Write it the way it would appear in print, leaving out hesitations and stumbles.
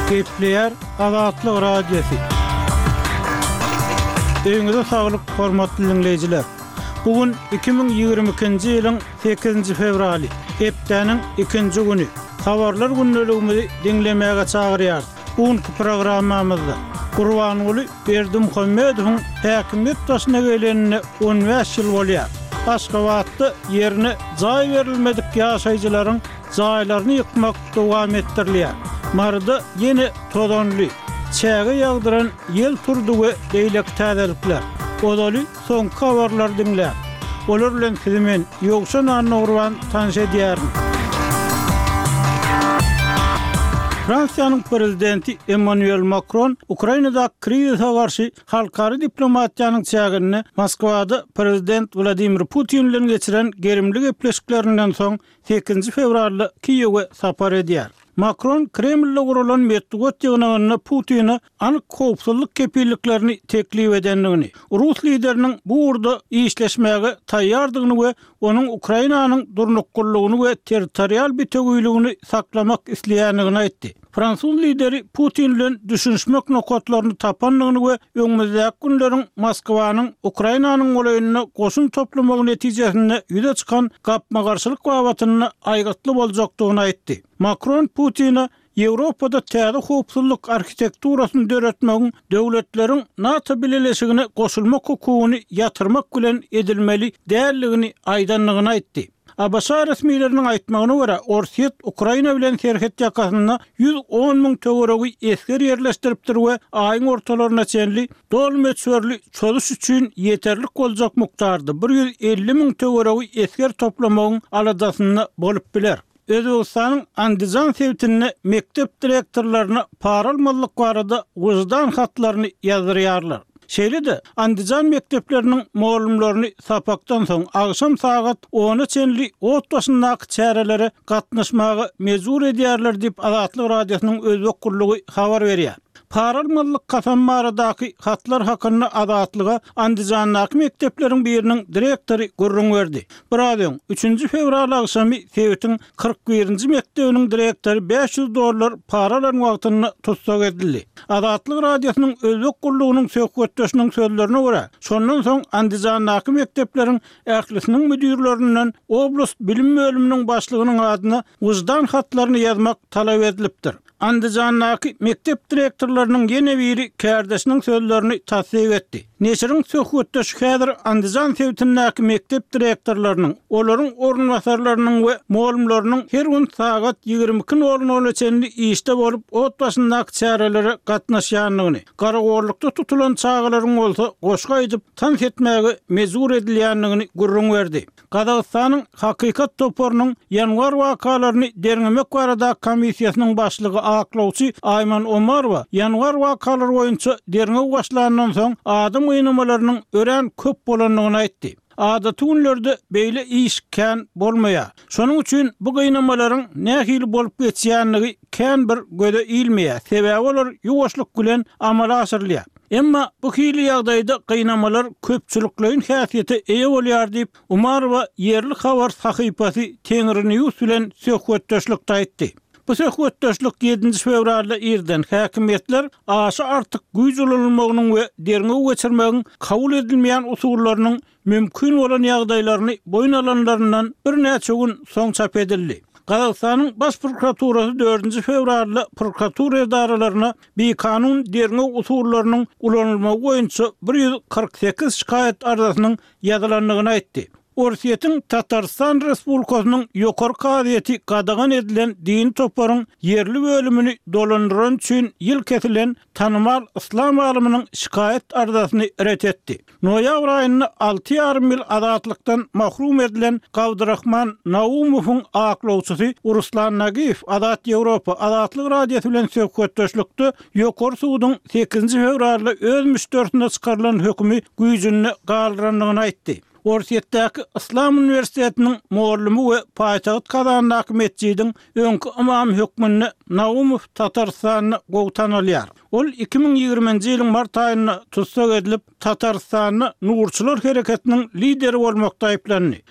Gepleýär Azatlyk Radiosy. Öýüňize saglyk, hormatly diňleýjiler! Bu gün 2022-nji ýylyň sekizinji fewraly, hepdäniň ikinji güni. Habarlar gündeligimizi diňlemäge çagyrýarys. Bu günki programmamyzda Gurbanguly Berdimuhamedowyň häkimiýet başyna gelenine on bäş ýyl bolýar. Aşgabatda ýerine jaý berilmedik ýaşaýjylaryň jaýlaryny ýykmak dowam etdirilýär. Maryda ýene tozanly, çäge ýagdyran ýel turdy we beýleki täzelikler. Ozaly soňky habarlary diňläň. Olar bilen sizi men, Ýowşan Annagurban tanyş edýärin. Fransiýanyň prezidenti Emmanuel Makron Ukrainadaky krizise garşy halkara diplomatiýanyň çäginde Moskwada prezident Wladimir Putin bilen geçiren gerimli gepleşiklerinden soň sekizinji fewralda Kiýewe sapar edýär. Makron Kremlde guralan metbugat ýygnagynda Putine anyk howpsuzlyk kepilliklerini teklip edendigini, rus lideriniň bu ugurda işleşmäge taýýardygyny we onuň Ukrainanyň durnuklylygyny we territorial bitewiligini saklamak isleýändigini aýtdy. Fransuz lideri Putin bilen düşünişmek nokatlaryny tapandygyny we öňümizdäki günleriň Moskwanyň Ukrainanyň golaýynda goşun toplamagy netijesinde ýüze çykan gapma-garşylyk babatynda aýgytly boljakdygyny aýtdy. Makron Putine Ýewropada täze howpsuzlyk arhitekturasyny döretmegiň döwletleriň NATO bileleşigine goşulmak hukugyny ýatyrmak bilen edilmeli däldigini aýdandygyny aýtdy. ABŞ resmileriniň aýtmagyna görä, Orsýet Ukraina bilen serhet ýakasynda 110 müň töweregi esger ýerleşdiripdir we aýyň ortalaryna çenli doly möçberli çozuş üçin ýeterlik boljak mukdarda 150 müň töweregi esger toplamagyň aladasynda bolup biler. Özbegistanyň Andijan sebitinde mekdep direktorlaryna para almazlyk barada wyždan hatlaryny ýazdyrýarlar. Şeýle-de, Andijan mekdepleriniň mugallymlaryny sapakdan soň agşam sagat ona çenli ot başyndaky çärelere gatnaşmaga mejbur edýärler diýip, Azatlyk Radiosynyň Özbek gullugy habar berýär. Para almazlyk kasamy baradaky hatlar hakynda Azatlyga Andijandaky mekdepleriň biriniň direktory gürrüň berdi. Biraz öň, üçünji fewral agşamy sebitiň 41-nji mekdebiniň direktory 500 dollar para alan wagtynda tussag edildi. Azatlyk Radiosynyň Özbek gullugynyň söhbetdeşiniň sözlerine görä, şondan soň Andijandaky mekdepleriň ählisiniň müdirlerinden oblast bilim bölüminiň başlygynyň adyna wyždan hatlaryny ýazmak talap edilipdir. Andijandaky mekdep direktorlarynyň ýene biri kärdeşiniň sözlerini tassyk etdi. Neşiriň söhbetdeşi häzir Andijan sebitindäki mekdep direktorlarynyň, olaryň orunbasarlarynyň we mugallymlarynyň her gün sagat 22 nol nola çenli işde bolup, ot başyndaky çärelere gatnaşýandygyny, garagollukda tutulan çagalaryň bolsa goşgy aýdyp, tans etmäge mejbur edilýändigini gürrüň berdi. Gazagystanyň Hakykat toparynyň ýanwar wakalaryny derňemek baradaky komissiýasynyň başlygy aklawçy Aýman Omarowa ýanwar wakalary boýunça derňew başlandan soň adam gynamalarynyň örän köp bolandygyny aýtdy. Adaty günlerde beýle iş kän bolmaýar. Şonuň üçin bu gynamalaryň nähili bolup geçýändigi kän bir göze ilmeýär, sebäbi olar ýuwaşlyk bilen amala aşyrylýar. Emma bu hili ýagdaýda gynamalar köpçülikleýin häsiýete eýe bolýar diýip, Umarowa ýerli habar sahypasy Tengrinews bilen söhbetdeşlikde aýtdy. Bu söhbetdeşlik ýedinji fewralda irden häkimiýetler aşa artyk güýç ulanylmagynyň we derňew geçirmegiň kabul edilmeýän usullarynyň mümkin bolan ýagdaýlaryny boýun alanlaryndan birnäçe gün soň çap edildi. Gazagystanyň Baş prokuraturasy dördünji fewralda prokuratura edaralaryna bikanun derňew usullarynyň ulanylmagy boýunça 148 şikaýat arzasynyň ýazylandygyny aýtdy. Orsýetiň Tatarystan Respublikasynyň Ýokary kazyýeti gadagan edilen dini toparyň ýerli bölümini dolandyrany üçin ýyl kesilen tanymal yslam alymynyň şikaýat arzasyny ret etdi. Noýabr aýynda alty ýarym ýyl azatlykdan mahrum edilen Gabdyrahman Naumowyň aklawçysy Ruslan Nagiýew Azat Ýewropa, Azatlyk Radiosy bilen söhbetdeşlikde Ýokary suduň sekizinji fewralda öz müşderisine çykarylan hökümi güýjünde galdyrandygyny aýtdy. Orsýetdäki Yslam uniwersitetiniň mugallymy we paýtagt Kazandaky metjidiň öňki ymamy hökmünde Naumow Tatarystanda gowy tanalýar. Ol 2020-nji ýylyň mart aýynda tussag edilip, Tatarystanda nurçylar hereketiniň lideri bolmakda aýyplandy.